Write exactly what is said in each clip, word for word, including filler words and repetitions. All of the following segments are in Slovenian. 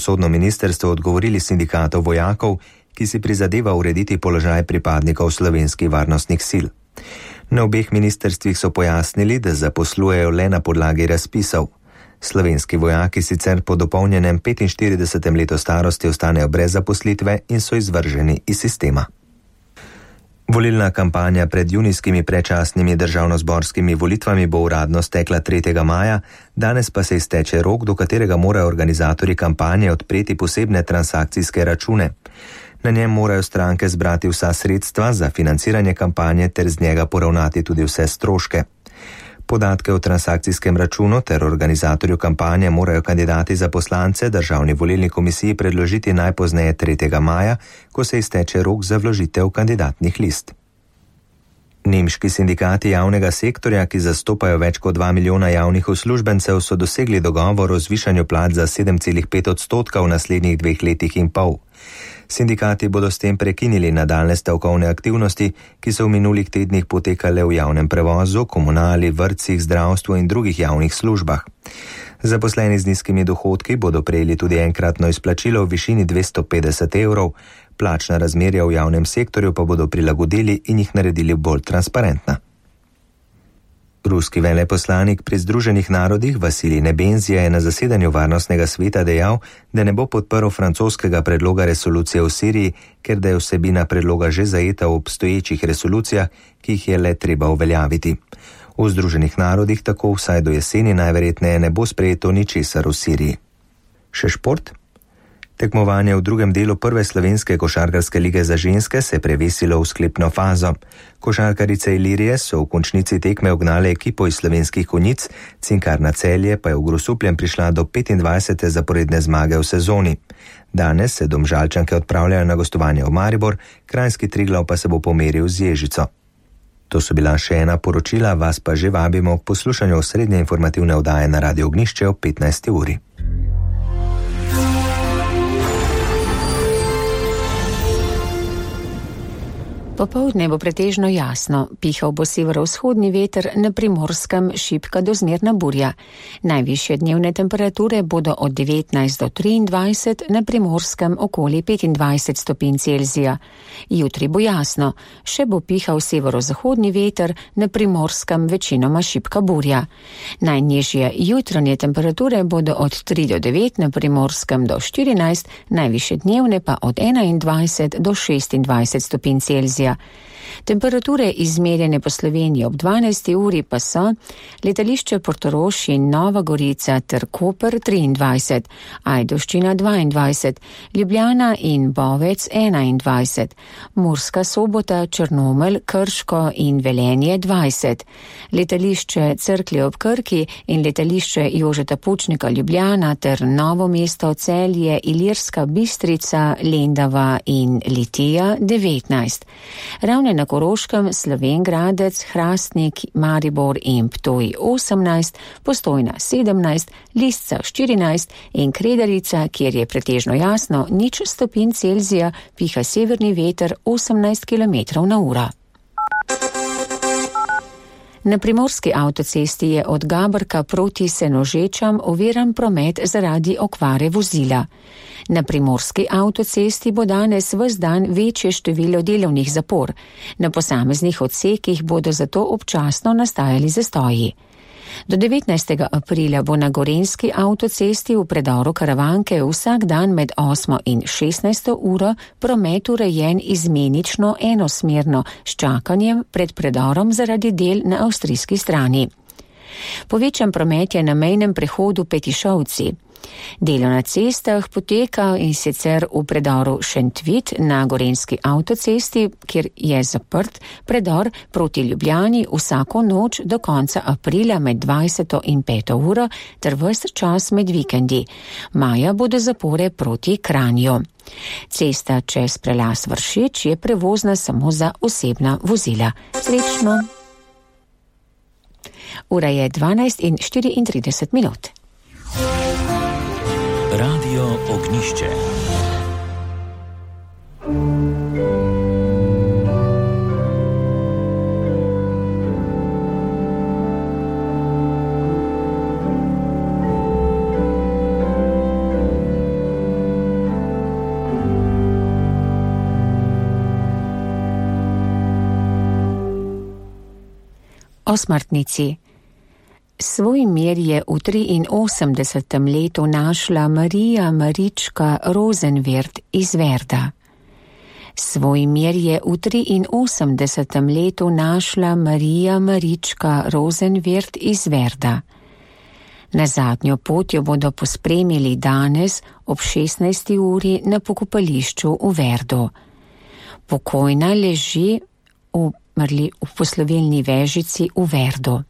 pravosodno ministrstvo odgovorili sindikatov vojakov, ki si prizadeva urediti položaj pripadnikov slovenskih varnostnih sil. Na obeh ministrstvih so pojasnili, da zaposlujejo le na podlagi razpisov. Slovenski vojaki sicer po dopolnjenem petinštiridesetem letu starosti ostanejo brez zaposlitve in so izvrženi iz sistema. Volilna kampanja pred junijskimi predčasnimi državnozborskimi volitvami bo uradno stekla tretjega maja, danes pa se izteče rok, do katerega morajo organizatorji kampanje odpreti posebne transakcijske račune. Na njem morajo stranke zbrati vsa sredstva za financiranje kampanje ter z njega poravnati tudi vse stroške. Podatke o transakcijskem računu ter organizatorju kampanje morajo kandidati za poslance Državni volilni komisiji predložiti najpozneje tretjega maja, ko se izteče rok za vložitev kandidatnih list. Nemški sindikati javnega sektorja, ki zastopajo več kot dva milijona javnih uslužbencev, so dosegli dogovor o zvišanju plač za sedem celih pet odstotka v naslednjih dveh letih in pol. Sindikati bodo s tem prekinili nadaljne stavkovne aktivnosti, ki so v minulih tednih potekale v javnem prevozu, komunali, vrtcih, zdravstvu in drugih javnih službah. Zaposleni z nizkimi dohodki bodo prejeli tudi enkratno izplačilo v višini dvesto petdeset evrov, plačna razmerja v javnem sektorju pa bodo prilagodili in jih naredili bolj transparentna. Ruski veleposlanik pri Združenih narodih Vasilij Nebenzija je na zasedanju Varnostnega sveta dejal, da ne bo podprl francoskega predloga resolucije v Siriji, ker da je vsebina predloga že zajeta v obstoječih resolucijah, ki jih je le treba uveljaviti. V Združenih narodih tako vsaj do jeseni najverjetneje ne bo sprejeto ničesar v Siriji. Še šport? Tekmovanje v drugem delu prve slovenske košarkarske lige za ženske se je prevesilo v sklepno fazo. Košarkarice Ilirije so v končnici tekme ugnale ekipo iz Slovenskih Konjic, Cinkarna Celje pa je v Grosupljem prišla do petindvajsete zaporedne zmage v sezoni. Danes se Domžalčanke odpravljajo na gostovanje v Maribor, Kranjski Triglav pa se bo pomeril z Ježico. To so bila še ena poročila, vas pa že vabimo k poslušanju osrednje informativne oddaje na Radio Ognjišče ob petnajsti uri. Popoldne bo pretežno jasno, pihal bo severovzhodni veter, na Primorskem šibka do zmerna burja. Najvišje dnevne temperature bodo od devetnajst do triindvajset, na Primorskem okoli petindvajset stopinj Celzija. Jutri bo jasno, še bo pihal severozahodni veter, na Primorskem večinoma šibka burja. Najnižje jutranje temperature bodo od tri do devet, na Primorskem do štirinajst, najvišje dnevne pa od enaindvajset do šestindvajset stopinj Celzija. Temperature izmerjene po Sloveniji ob dvanajsti uri pa so letališče Portorož in Nova Gorica ter Koper triindvajset, Ajdovščina dvaindvajset, Ljubljana in Bovec enaindvajset, Murska Sobota, Črnomelj, Krško in Velenje dvajset, letališče Cerklje ob Krki in letališče Jožeta Pučnika Ljubljana ter Novo mesto, Celje, Ilirska Bistrica, Lendava in Litija devetnajst. Ravne na Koroškem, Slovenj Gradec, Hrastnik, Maribor in Ptuj osemnajst, Postojna sedemnajst, Lisca štirinajst in Kredarica, kjer je pretežno jasno, nič stopinj Celzija, piha severni veter osemnajst kilometrov na uro. Na Primorski avtocesti je od Gabrka proti Senožečam oviran promet zaradi okvare vozila. Na Primorski avtocesti bo danes ves dan večje število delovnih zapor. Na posameznih odsekih bodo zato občasno nastajali zastoji. Do devetnajstega aprila bo na Gorenjski avtocesti v predoru Karavanke vsak dan med osmo in šestnajsto uro promet urejen izmenično enosmerno s čakanjem pred predorom zaradi del na avstrijski strani. Povečan promet je na mejnem prehodu Petišovci. Delo na cestah poteka in sicer v predoru Šentvit na Gorenjski avtocesti, kjer je zaprt predor proti Ljubljani vsako noč do konca aprila med dvajseto in peto uro ter ves čas med vikendi. Maja bodo zapore proti Kranju. Cesta čez prelaz Vršič je prevozna samo za osebna vozila. Srečno! Ura je dvanajst in štiriintrideset minut. Radio Ognjišče. O smrtnici. Svoj mir je v triinosemdesetem letu našla Marija Marička Rosenwirth iz Verda. Svoj mir je v triinosemdesetem letu našla Marija Marička Rosenwirth iz Verda. Na zadnjo pot jo bodo pospremili danes ob šestnajsti uri na pokopališču v Verdu. Pokojna leži v, mrli, v poslovilni vežici v Verdu.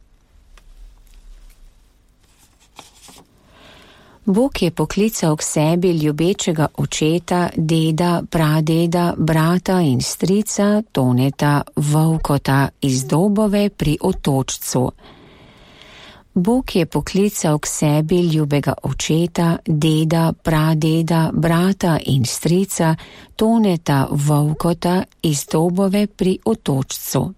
Bog je poklical k sebi ljubečega očeta, deda, pradeda, brata in strica Toneta Vovkota iz Dobove pri Otočcu. Bog je poklical k sebi ljubega očeta, deda, pradeda, brata in strica Toneta Vovkota iz Dobove pri Otočcu.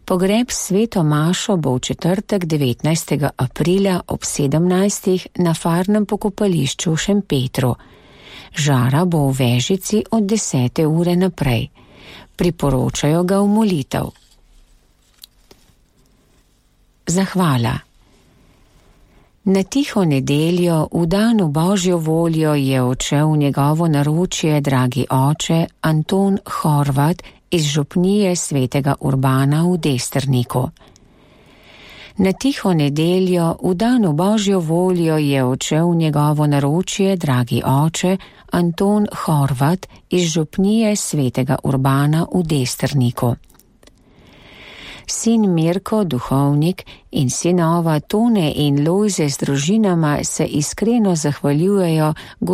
Pogreb sveto mašo bo v četrtek devetnajstega aprila ob sedemnajstih na farnem pokopališču v Šempetru. Žara bo v vežici od desete ure naprej. Priporočajo ga v molitev. Zahvala. Na tiho nedeljo, v dan v Božjo voljo, je odšel v njegovo naročje dragi oče Anton Horvat iz župnije svetega Urbana v Desterniku. Na tiho nedeljo, v dan v Božjo voljo, je odšel v njegovo naročje dragi oče Anton Horvat iz župnije svetega Urbana v Desterniku. Sin Mirko, duhovnik, in sinova Tone in Lojze z družinama se iskreno zahvaljujejo